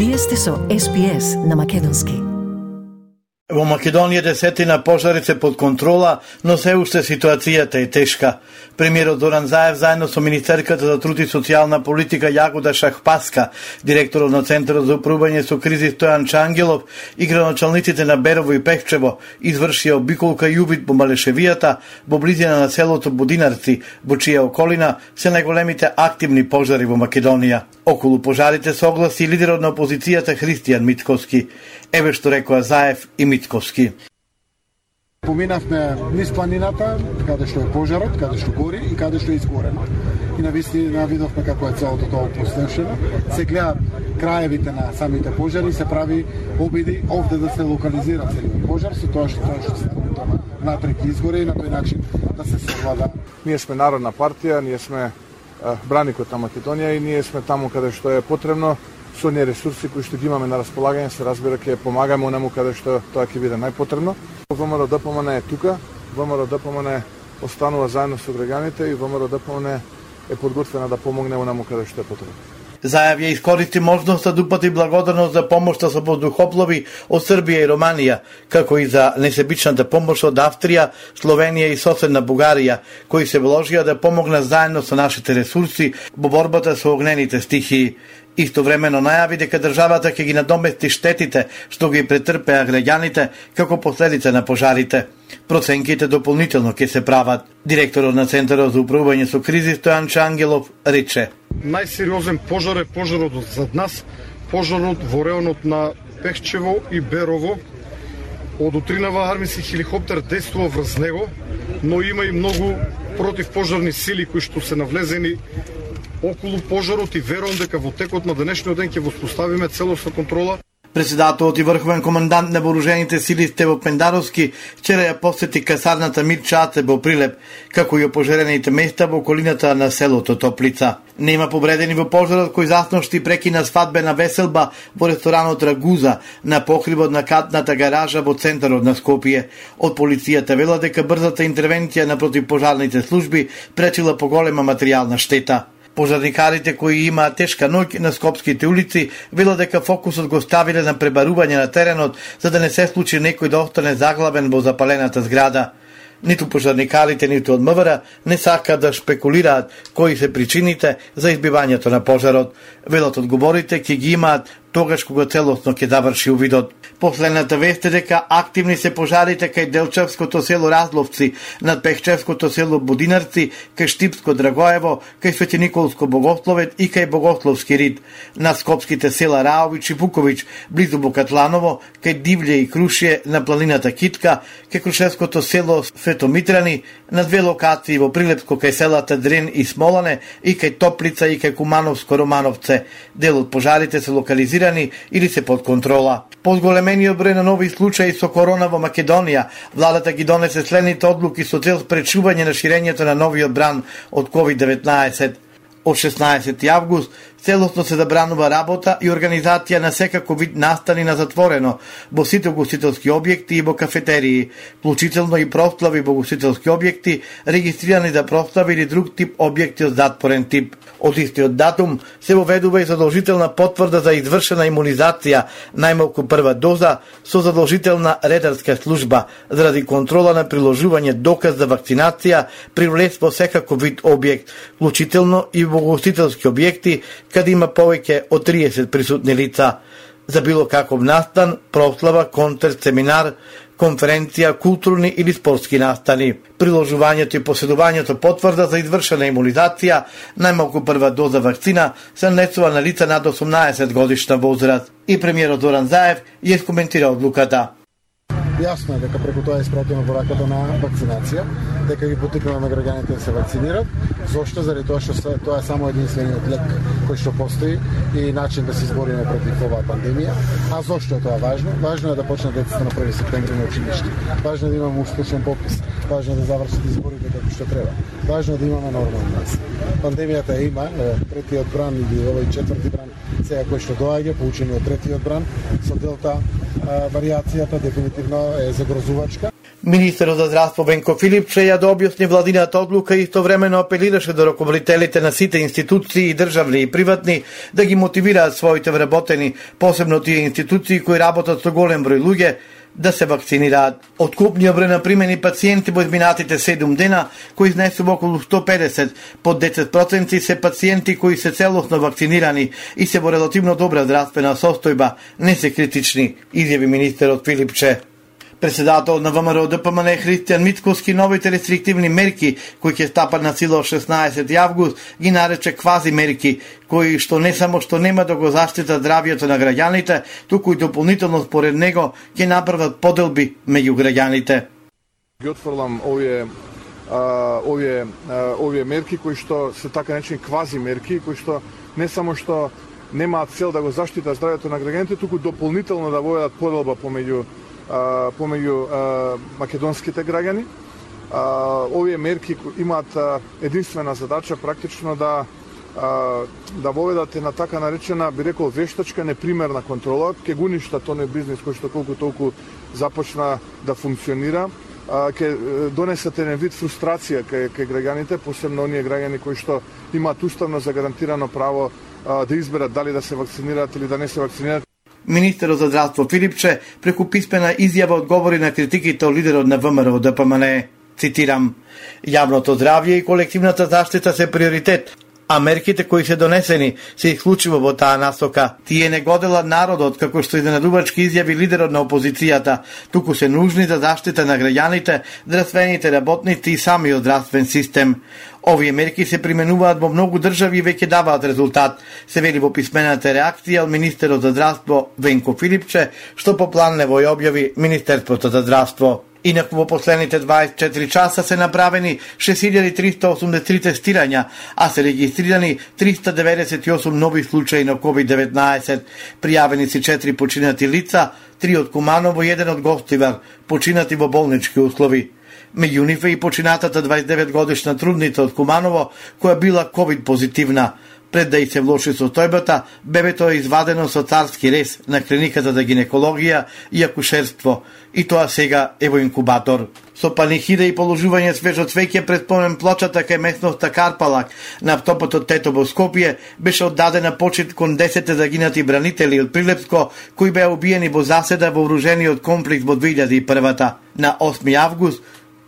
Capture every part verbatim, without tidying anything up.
Вие сте со Ес Би Ес на македонски. Во Македонија десетина пожари се под контрола, но се уште ситуацијата е тешка. Премиерот Зоран Заев заедно со министерката за труд и социјална политика Јагода Шахпаска, директорот на Центарот за управување со кризи Стојан Чангелов и градоначалниците на Берово и Пехчево извршија обиколка и увид по Малешевијата во близина на селото Будинарци, во чија околина се најголемите активни пожари во Македонија. Околу пожарите се огласи лидерот на опозицијата Христијан Мицковски. Еве што рекоа Заев и Мицковски. Поминавме низ планината, каде што е пожарот, каде што гори и каде што е изгорено. И навистина видовме како е целото тоа опустошено. Се гледаат краевите на самите пожари, се прави обиди овде да се локализира целиот пожар, со тоа што тоа што се тоа внатре ќе изгори и на тој начин да се совлада. Ние сме народна партија, ние сме браникот на Македонија и ние сме таму каде што е потребно. Со оние ресурси кои што ги имаме на располагање, се разбира ќе помагаме онаму каде што тоа ќе биде најпотребно. ВМРО-ДПМН е тука, ВМРО-ДПМН останува заедно со граѓаните и ВМРО-ДПМН е подготвена да помогне онаму каде што е потребно. Заев ја искористи можноста да упати благодарност за помошта со воздухоплови од Србија и Романија, како и за несебичната помош од Австрија, Словенија и соседна Бугарија, кои се вложија да помогнат заедно со нашите ресурси во борбата со огнените стихии. Истовремено најави дека државата ќе ги надомести штетите што ги претрпеа граѓаните како последица на пожарите. Проценките дополнително ќе се прават. Директорот на Центарот за управување со кризи Стојан Чангелов рече: Најсериозен пожар е пожарот зад нас, пожарот во реонот на Пехчево и Берово. Од утринава армиски хеликоптер действува врз него, но има и многу противпожарни сили кои што се навлезени околу пожарот и верувам дека во текот на денешниот ден ќе воспоставиме целосна контрола. Председателот и врховен командант на вооружените сили Стево Пендаровски вчера ја посети касарната Мирчаце во Прилеп, како и опожарените места во околината на селото Топлица. Нема повредени во пожарот кој засношти прекина свадбена веселба во ресторанот Рагуза на покривот на катната гаража во центарот на Скопје. Од полицијата вела дека брзата интервенција на противпожарните служби пречила поголема материјална штета. Пожарникарите кои имаат тешка ноќ на скопските улици велат дека фокусот го ставиле на пребарување на теренот за да не се случи некој да остане заглавен во запалената зграда. Ниту пожарникарите, ниту од МВР не сакаат да шпекулираат кои се причините за избивањето на пожарот. Велат одговорите ќе ги имаат тогаш кога целосно ќе заврши увидот. Последната вест е дека активни се пожарите кај Делчевското село Разловци, над Пехчевското село Будинарци, кај Штипско Драгоево, кај Свети Николско Богословет и кај Богословски Рид, над скопските села Раович и Букович, близу Бокатланово, кај Дивље и Крушје на планината Китка, кај Крушевското село Светомитрани, на две локации во Прилепско кај селата Дрен и Смолане и кај Топлица и кај Кумановско Романовце. Дел од пожарите се локализирани или се под контрола. По зголемениот број на нови случаи со корона во Македонија, владата ги донесе следните одлуки со цел спречување на ширењето на новиот бран од ковид деветнаесет. Од шеснаесети август целосно се забранува работа и организација на секако вид настани на затворено во сите угостителски објекти и во кафетерии, вклучително и прослави во угостителски објекти, регистрирани за прослави или друг тип објекти од затворен тип. Од истиот датум се воведува и задолжителна потврда за извршена имунизација, најмалку прва доза, со задолжителна редарска служба, заради контрола на приложување доказ за вакцинација при влез во секако вид објект, вклучително и во угостителски објекти, каде има повеќе од триесет присутни лица. За било каков настан, прослава, концерт, семинар, конференција, културни или спортски настани. Приложувањето и поседувањето потврда за извршена имунизација, најмалку прва доза вакцина, се нанесува на лица над осумнаесет годишна возраст. И премиерот Зоран Заев ја искоментира одлуката. Јасно е дека преку тоа испратиме пораката на вакцинација, дека ги поттикнуваме граѓаните да се вакцинират. Зошто? Заради тоа што тоа е само единствениот лек кој што постои и начин да се избориме против оваа пандемија. А зошто е тоа важно? Важно е да почнат децата на први септември на училиште. Важно е да имаме успешен попис. Важно е да завршат изборите како што треба. Важно е да имаме нормална нас. Пандемијата е има, третиот бран или овој четврти бран, сега кој што доаѓа, поучени од третиот бран, со делта варијацијата дефинитивно е загрозувачка. Министерот за здравство Венко Филипче ја да објасни владината одлука и истовремено апелираше до раководителите на сите институции и државни и приватни да ги мотивираат своите вработени, посебно тие институции кои работат со голем број луѓе, да се вакцинираат. Откупниот број на примени пациенти во изминатите седум дена, кои изнесува околу сто педесет, под десет проценти се пациенти кои се целосно вакцинирани и се во релативно добра здравствена состојба, не се критични, изјави министерот Филипче. Председател на ВМРО Д П М Н Христијан Мицкоски новите рестриктивни мерки кои ќе стапат на сила од шеснаесети август ги нарече квази мерки, кои што не само што нема да го заштитат здравјето на граѓаните, туку и дополнително според него ќе направат поделби меѓу граѓаните. Ги отфрлам овие а, овие а, овие мерки кои што се така наречени квази мерки, кои што не само што немаат цел да го заштитат здравјето на граѓаните, туку дополнително да воведат поделба помеѓу помеѓу македонските граѓани. Овие мерки имаат единствена задача практично да да воведат на така наречена, би рекол, вештачка непримерна контрола, ќе го уништа тој бизнис кој што колку толку започна да функционира, ќе донесат еден вид фрустрација кај кај граѓаните, посебно оние граѓани кои што имаат уставно загарантирано право да изберат дали да се вакцинираат или да не се вакцинираат. Министерот за здравство Филипче преку писмена изјава одговори на критиките од лидерот на ВМРО Д П М Н. Цитирам: "Јавното здравје и колективната заштита се приоритет, а мерките кои се донесени се исклучиво во таа насока. Тие не годелат народот, како што изненадувачки изјави лидерот на опозицијата, туку се нужни за заштита на граѓаните, здравствените работници и самиот здравствен систем. Овие мерки се применуваат во многу држави и веќе даваат резултат", се вели во писмената реакција од министерот за здравство Венко Филипче, што по план нево ја објави Министерството за здравство. Инаку во последните дваесет и четири часа се направени шест илјади триста осумдесет и три тестирања, а се регистрирани триста деветдесет и осум нови случаи на ковид деветнаесет. Пријавени се четири починати лица, три од Куманово и еден од Гостивар, починати во болнички услови. Меѓу нив е и починатата дваесет и девет годишна трудница од Куманово, која била ковид позитивна. Пред да и се влоши состојбата, бебето е извадено со царски рез на клиниката за гинекологија и акушерство, и тоа сега е во инкубатор. Со панихида и положување свежо цвеќе пред спомен плочата кај местноста Карпалак на автопатот Тетово Скопје беше оддадена почит кон десет загинати бранители од Прилепско кои беа убиени во заседа во вооружениот комплекс во две илјади и прва. На осми август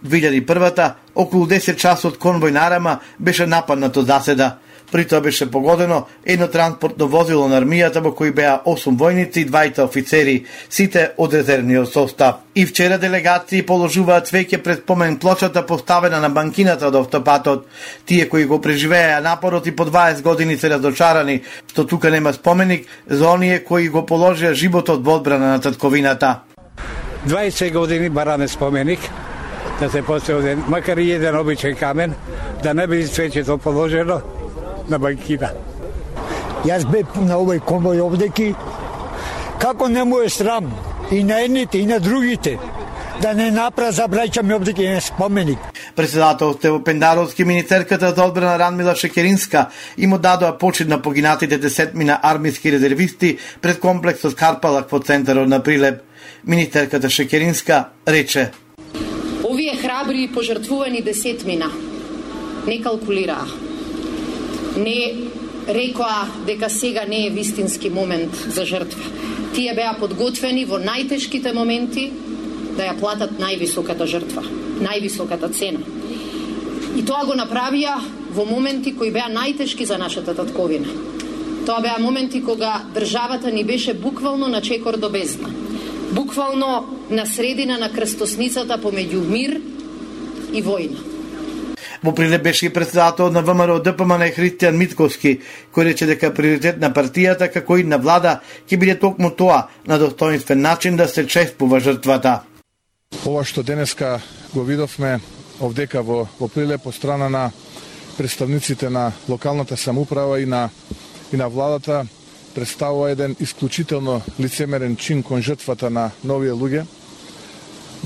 две илјади и прва околу десет часот конвој на Арама беше нападнато заседа. При тоа беше погодено едно транспортно возило на армијата во кои беа осум војници и двајца офицери, сите од резервниот состав. И вчера делегации положуваат цвеќе пред спомен плочата поставена на банкината од автопатот. Тие кои го преживеа напорот и по дваесет години се разочарани што тука нема споменик за оние кои го положија животот во одбрана на татковината. дваесет години бараме споменик да се постави, макар и еден обичен камен, да не би цвеќето положено на банкина. Јас бев на овој конвој овдеки, како не му е срам и на едните и на другите да не напра за браќами овдеки еден споменик. Председател Стево Пендаровски, министерката за одбрана Радмила Шекеринска им дадоа почит на погинатите десетмина армиски резервисти пред комплексот Карпалак во центарот на Прилеп. Министерката Шекеринска рече: "Овие храбри и пожртвувани десетмина не калкулираа. Не рекоа дека сега не е вистински момент за жртва. Тие беа подготвени во најтешките моменти да ја платат највисоката жртва, највисоката цена. И тоа го направија во моменти кои беа најтешки за нашата татковина. Тоа беа моменти кога државата ни беше буквално на чекор до бездна. Буквално на средина на крстосницата помеѓу мир и војна." Во Прилеп беше и председател на ВМРО Д П М Н Христијан Мицкоски, кој рече дека приоритет на партијата како и на влада ќе биде токму тоа, на достоинствен начин да се чествува жртвата. Ова што денеска го видовме овдека во, во Прилеп од страна на представниците на локалната самоуправа и на, и на владата представува еден исклучително лицемерен чин кон жртвата на новие луѓе,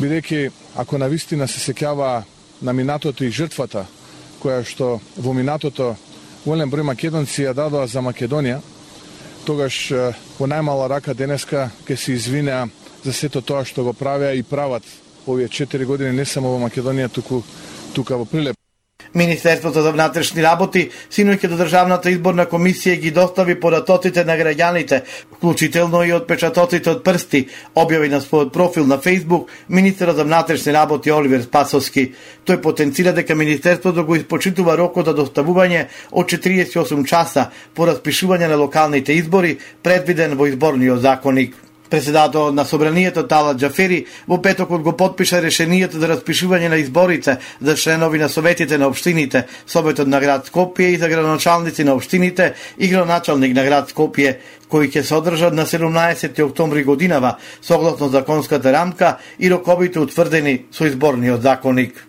бидејќи ако навистина се сеќава на минатото и жртвата, која што во минатото голем број македонци ја дадоа за Македонија, тогаш во најмала рака денеска ќе се извинеа за сето тоа што го правеа и прават овие четири години не само во Македонија, туку тука во Прилеп. Министерството за внатрешни работи синоќ до Државната изборна комисија ги достави податоците на граѓаните, вклучително и отпечатоците од прсти, објави на својот профил на Facebook министерот за внатрешни работи Оливер Спасовски. Тој потенцира дека министерството го испочитува рокот за доставување од четириесет и осум часа по распишување на локалните избори, предвиден во изборниот законник. Председателот на Собранието Талат Џафери во петокот го потпиша решението за распишување на изборите за членови на советите на општините, Советот на град Скопје и за градоначалници на општините и градоначалник на град Скопје, кои ќе се одржат на седумнаесети октомври годинава, согласно законската рамка и роковите утврдени со изборниот законник.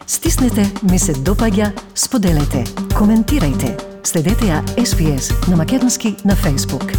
Стиснете, ми се допаѓа, споделете, коментирајте. Следете ја Ес Би Ес на македонски на Facebook.